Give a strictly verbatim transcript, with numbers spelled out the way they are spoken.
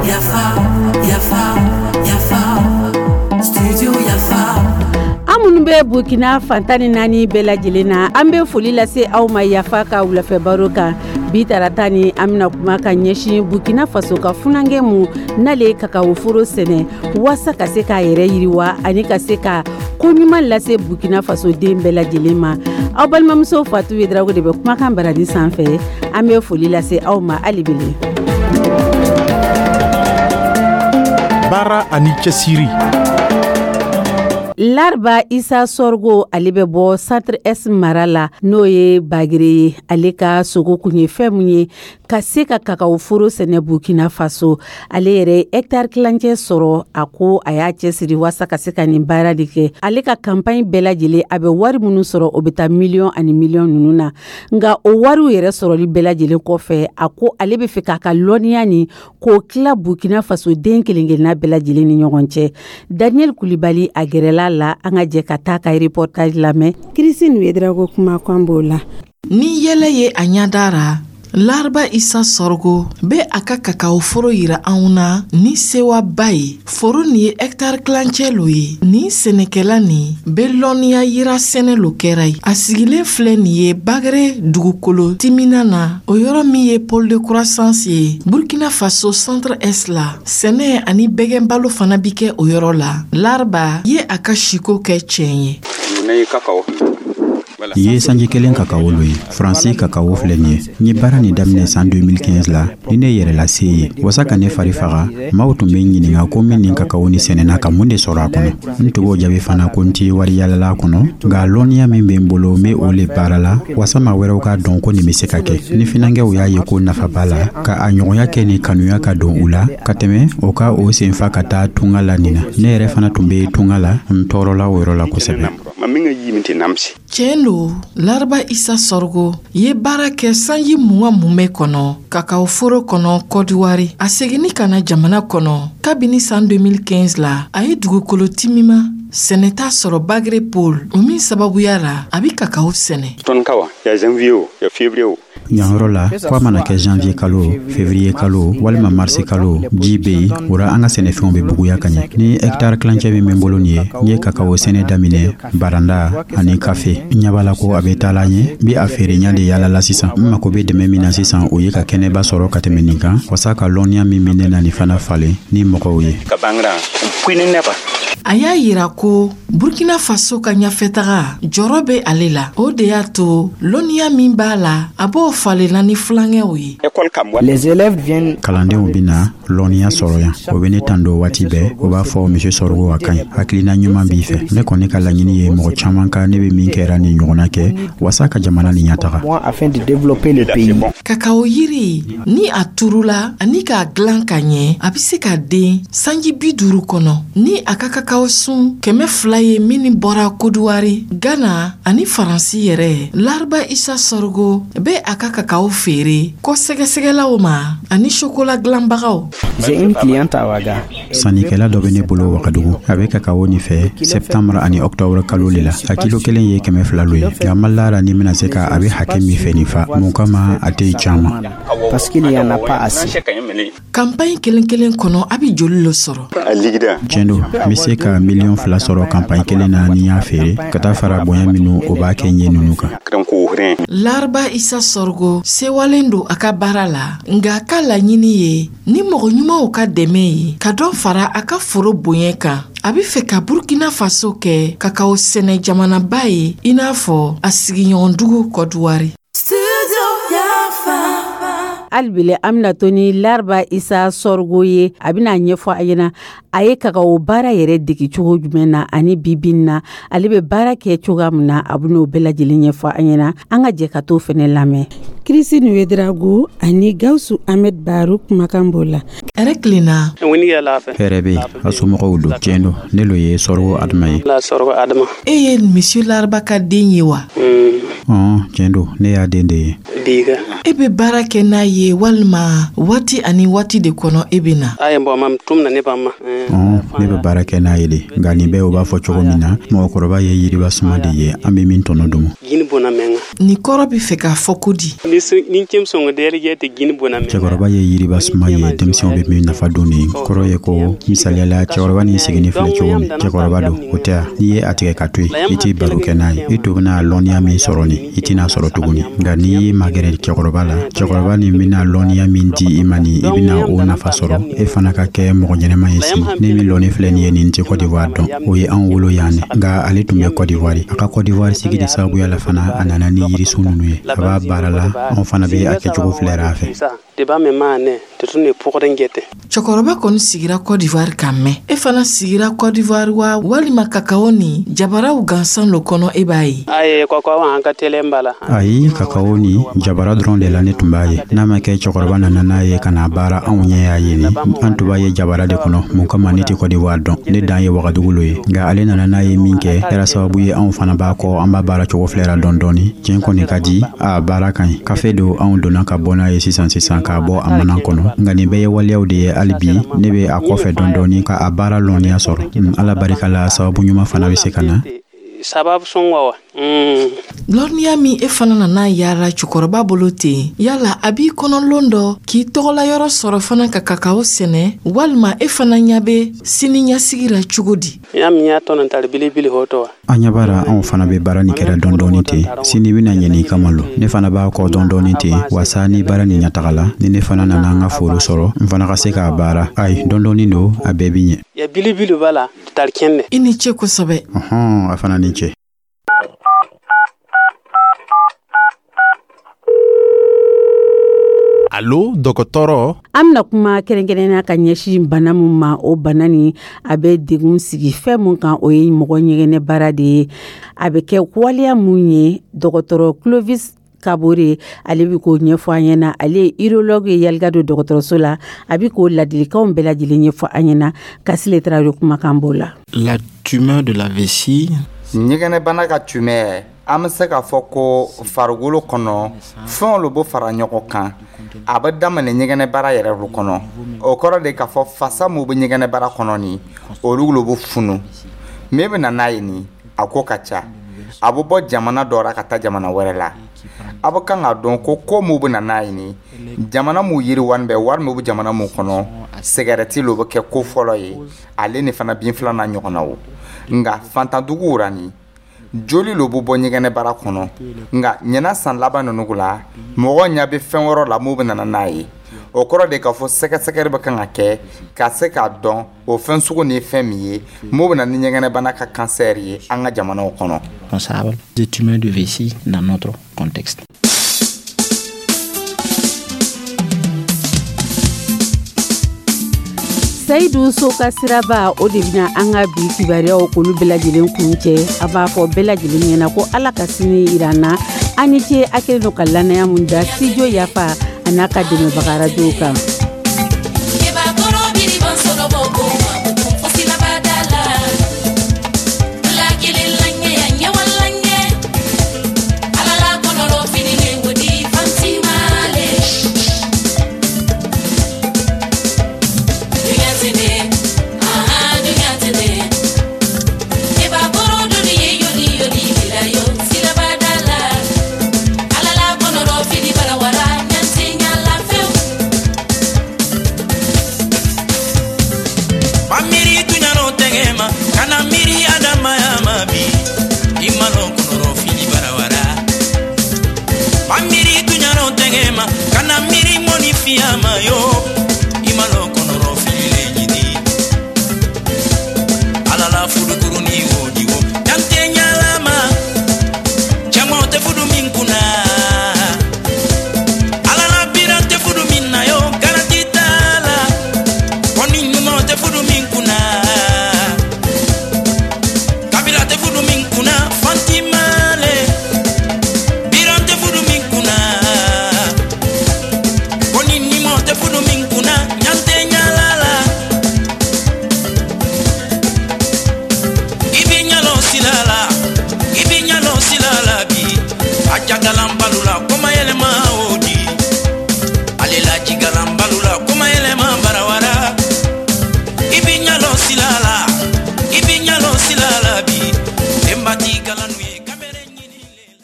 Yafa, yafa, yafa, Studio Yafa. An minnu bɛ Burkina fan tan ni naani bɛɛ lajɛlen na, an bɛ foli lase aw ma Yafa ka wulafɛ baro kan. Bi tarata ni, an bɛna kuma ka ɲɛsin Burkina Faso ka funankɛ mu n'ale ye kakawo foro sɛnɛ waasa ka se k'a yɛrɛ yiriwa ani ka se ka ko ɲuman lase Burkina Faso den bɛɛ lajɛlen ma. Aw balimamuso Fatu Yedrago de bɛ kumakan baradi sanfɛ. An bɛ foli lase aw ma hali bele. Baara ani cɛsiri. Larba Isa Sɔrgo, ale bɛ bɔ Centre Est mara la, n'o ye Bagere ye. Ale ka sogo kun ye fɛn mun ye ka se ka kakawo foro sɛnɛ Burkina Faso. Ale yɛrɛ ye hectare kilancɛ sɔrɔ. A ko a y'a cɛsiri waasa ka se ka nin baara de kɛ. Ale ka campagne bɛɛ lajɛlen, a bɛ wari minnu sɔrɔ, o bɛ taa miliyɔn ani miliyɔn ninnu na. Nka o wariw yɛrɛ sɔrɔli bɛɛ lajɛlen kɔfɛ, a ko ale bɛ fɛ k'a ka lɔnniya nin k'o tila Burkina Faso den kelen kelenna bɛɛ lajɛlen ni ɲɔgɔn cɛ. Daniel Kulibali a gɛrɛla la, an ka jɛ ka taa ka reportage lamɛn. Christine Ouedraogo kumakan b'o la. Ni yɛlɛ ye a ɲɛda ra, Larba Isa Sɔrgo bɛ a ka kakawo foro yira anw na ni sewaba ye. Foro nin ye hɛktare kilancɛ lo ye. Nin sɛnɛkɛla nin bɛ lɔnniya yira sɛnɛ lo kɛra ye. A sigilen filɛ nin ye Bagere dugukolo timina na, o yɔrɔ min ye pôle de croissance ye Burkina Faso Centre Est la. Sɛnɛ ani bɛgɛnbalo fana bi kɛ o yɔrɔ la. Larba ye a ka siko kɛ tiɲɛ ye. Nin ye sanji kelen kakawo lo ye. Faransi kakawo filɛ nin ye. N ye baara nin daminɛ san deux mille quinze la ni ne yɛrɛlase ye wasa ka ne fari faga. Maaw tun bɛ ɲininga ko min nin kakawo ni sɛnɛna ka mun de sɔrɔ a kɔnɔ. N tun b'o jaabi fana ko n ti wari yalala a kɔnɔ, nka lɔnniya min bɛ n bolo, n be o le baara la wasa maa wɛrɛw k'a dɔn ko nin be se ka kɛ. Ni finankɛw y'a ye ko nafa b'a la ka a ɲɔgɔnya kɛ, ni kanuya ka don u la ka tɛmɛ o ka o senfa ka taa tunga la nin na. Ne yɛrɛ fana tun be tunga la, n tɔɔrɔla o yɔrɔ la kosɛbɛ. Tiɲɛ lo, Laraba Isa Sɔrgo ye baara kɛ sanji mugan mumɛ kɔnɔ kakaw foro kɔnɔ Kɔdiwari. A seginni ka na jamana kɔnɔ kabini san deux mille quinze la, a ye dugukolo timima sɛnɛta sɔrɔ Bagre Pôle, o min sababuya la a bi kakaw sɛnɛ. Yanyɔrɔ la, ko a mana kɛ janvier kalo, février kalo walima marisi kalo, ji be yen. O ra an ka sɛnɛfɛnw be buguya ka ɲɛ. Ni hɛktare kilancɛ min bɛ bolo nin ye, n ye kakawo sɛnɛ daminɛ, baranda ani kafe. N ɲɛ b'a la ko a bɛ taala ɲɛ. N be a feere ɲa de yala la sisan. N mako be dɛmɛ min na sisan, o ye ka kɛnɛba sɔrɔ ka tɛmɛ nin kan, wasa ka lɔnniya min bɛ ne na nin fana falen ni mɔgɔw ye. A y'a yira ko Burkina Faso ka ɲafɛtaga jɔrɔ bɛ ale la. O de y'a to lɔnniya min b'a la, a b'o falenna ni filankɛw ye. Kalandenw bena lɔnniya sɔrɔ yan, o be ne tan don waati bɛɛ. O b'a fɔ: "Monsieur Sɔrɔgo, a ka ɲi, hakilina ɲuman b'i fɛ." Ne kɔni ka laɲini ye mɔgɔ caaman ka ne be min kɛra nin ɲɔgɔnna kɛ wasa ka jamana nin ɲataga. Kakawo yiri ni a turula ani k'a dilan ka ɲɛ, a be se ka den sanji bi duuru kɔnɔ. Ni a ka kakawo sun kɛmɛ fila ye minnu bɔra Kodiwari, Gana ani Faransi yɛrɛ, Laraba Isa Sɔrɔgo bɛ a ka kakawo feere kɔ sɛgɛsɛgɛlaw ma ani sokola dilanbagaw. Sannikɛla dɔ bɛ ne bolo Wagadugu, a bɛ kakawo nin fɛ septembre ani octobre kalo le la. A kilo kelen ye kɛmɛ fila lo ye, nka ma lara ni bɛna se ka a bɛ hakɛ min fɛ nin fa mun kama, a tɛ caman. Kanpaɲi kelen kelen kɔnɔ, a bɛ joli lo sɔrɔ? Tiɲɛ don, n bɛ se ka miliyɔn fila sɔrɔ kanpaɲi kelen na ni y'a feere, ka taa fara bonya minnu o b'a kɛ n ye ninnu kan. Laraba Isa Sɔrɔgo sewalen don a ka baara la, nka a ka laɲini ye ni mɔgɔ ɲumanw ka dɛmɛ ye ka dɔ fara a ka foro bonya kan. A bɛ fɛ ka Burkina Faso kɛ kakaw sɛnɛ jamanaba ye i n'a fɔ a sigiɲɔgɔndugu Kɔdiwari. Hali an bɛna to ni Laraba Isa Sɔrɔgo ye. A bɛna ɲɛfɔ a ɲɛna a ye kakawo baara yɛrɛ dege cogo jumɛn na ani bibi na ale bɛ baara kɛ cogoya min na. A bɛn'o bɛɛ lajɛlen ɲɛfɔ an ɲɛna. An ka jɛ ka t'o fana lamɛn. Christine Ouedraogo ani Gawusu Ahmed Baro kumakan b'o la. Hɛrɛ tilenna. Hɛrɛ bɛ yen, a somɔgɔw don? Tiɲɛ don, ne lo ye Sɔrɔgo Adama ye. E ye Monsieur Laraba ka den ye wa? Ɔn, tiɲɛ don, ne y'a den de ye. E bɛ baara kɛ n'a ye walima waati ani waati de kɔnɔ e bɛ na? Ɔn, ne bɛ baara kɛ n'a ye de, nka nin bɛɛ, o b'a fɔ cogo min na, mɔgɔkɔrɔba ye yiriba suma de ye, an bɛ min tɔnɔ domo. Nin kɔrɔ bɛ fɛ k'a fɔ ko di? Cɛkɔrɔba ye yiriba suma ye, denmisɛnw bɛ min nafa don. Nin kɔrɔ ye ko, misaliya la, cɛkɔrɔba ni sigilen filɛ cogo min, cɛkɔrɔba don, o tɛ? N'i ye a tigɛ ka to yen, i t'i baro kɛ n'a ye, i to bɛna lɔnniya min sɔrɔ nin, i tɛna sɔrɔ tuguni. Nka n'i y'i magɛrɛ cɛkɔrɔba la, cɛkɔrɔba nin bɛna lɔnniya min di i ma nin, i bɛna o nafa sɔrɔ, e fana ka kɛ mɔgɔ ɲɛnɛma ye sini. Ne min lɔnni filɛ nin ye, nin tɛ Côte d'Ivoire dɔn, o ye anw wolo yan de, nka ale tun bɛ Côte d'Ivoire. A ka Côte d'Ivoire sigi de sababuya la fana, a nana ni yirisun ninnu ye, a b'a baara la, anw fana bɛ a kɛcogo filɛra a fɛ. Cɛkɔrɔba kɔni sigira Côte d'Ivoire ka mɛn. E fana sigira Côte d'Ivoire wa, walima kakao ni jabaraw gansan lo kɔnɔ e b'a ye? Ayi, kakao ni jabara dɔrɔn de la ne tun b'a ye. N'a ma kɛ cɛkɔrɔba nana n'a ye ka na baara, anw ɲɛ y'a ye nin, an tun b'a ye jabara de kɔnɔ. Mun kama? Ne tɛ Côte d'Ivoire dɔn, ne dan ye Wagadugu lo ye. Nka ale nana n'a ye min kɛ, kɛra sababu ye anw fana b'a kɔ, an b'a baara cogo filɛra dɔɔni dɔɔni. Tiɲɛ kɔni ka di, a baara ka ɲi. Kafe don, anw donna ka bɔ n'a ye sisan sisan, k'a bɔ a mana kɔnɔ. Nka nin bɛɛ ye waleyaw de ye. Hali bi ne bɛ a kɔfɛ dɔɔni dɔɔni ka a baara lɔnniya sɔrɔ. Ala barika la, sababu ɲuman fana bɛ se ka na. Lɔnniya min e fana nana yaala cɛkɔrɔba bolo ten, yala a b'i kɔnɔ lon dɔ k'i tɔgɔla yɔrɔ sɔrɔ fana ka kakao sɛnɛ, walima e fana ɲɛ bɛ sini ɲɛsigi la cogo di? An ɲɛ b'a la, anw fana bɛ baara nin kɛra dɔɔni dɔɔni ten. Sini bɛna ɲɛ kama lo, ne fana b'a kɔ dɔɔni dɔɔni ten, wasa ni baara nin ɲɛtaga la, ni ne fana nana an ka foro sɔrɔ, n fana ka se k'a baara. Ayi, dɔɔni dɔɔni don, a bɛɛ bi ɲɛ. I ni ce kosɛbɛ. Ɔhɔn, a fana ni ce. Alo, dɔgɔtɔrɔ. An bɛna kuma kɛrɛnkɛrɛnnenya ka ɲɛsin bana min ma, o bana nin a bɛ degun sigi fɛn mun kan, o ye mɔgɔ ɲɛgɛnɛ baara de ye. A bɛ kɛ waleya mun ye, dɔgɔtɔrɔ Clovis Kabore, ale bɛ k'o ɲɛfɔ an ɲɛna. Ale ye urologue ye Yalgado dɔgɔtɔrɔso la. A bɛ k'o ladilikanw bɛɛ lajɛlen ɲɛfɔ an ɲɛna. Kasile Tarawele kumakan b'o la. La tumeur de la vessie. Ɲɛgɛnɛbana ka tumeur, an bɛ se k'a fɔ ko farikolo kɔnɔ fɛnw lo bɛ fara ɲɔgɔn kan, a bɛ daminɛ ɲɛgɛnɛbara yɛrɛ lo kɔnɔ. O kɔrɔ de k'a fɔ fasa min bɛ ɲɛgɛnɛbara kɔnɔ nin, olu lo bɛ funu. Min bɛ na n'a ye nin, a ko ka ca, a bɛ bɔ jamana dɔ la ka taa jamana wɛrɛ la. A bɛ kan k'a dɔn ko ko min bɛ na n'a ye nin, jamana mun yiriwani bɛ, wari min bɛ jamana mun kɔnɔ, sigɛrɛti lo bɛ kɛ ko fɔlɔ ye, ale ni fana bin filanan ɲɔgɔnna o. Nka fantanduguw ra nin, joli lo bɛ bɔ ɲɛgɛnɛbara kɔnɔ. Nka ɲɛna san laban ninnu la, mɔgɔ ɲɛ bɛ fɛn wɛrɛ la mun bɛ nana n'a ye. O kɔrɔ de k'a fɔ sɛgɛsɛgɛli bɛ kan ka kɛ ka se k'a dɔn o fɛn sugu ni fɛn min ye mun bɛ na ni ɲɛgɛnɛbana ka kansɛri ye an ka jamanaw kɔnɔ. Responsable des tumeurs de vessie dans notre contexte. Seyidu Soka Siraba, o de bɛna an ka bi kibaruyaw k'olu bɛɛ lajɛlen kun cɛ. A b'a fɔ bɛɛ lajɛlen ɲɛna ko Ala ka sini yira an na. An ni ce, a kɛlen don ka lanaya mun da Studio Yafa a n'a ka dɛmɛbaga arajow kan. Jagalan balo la.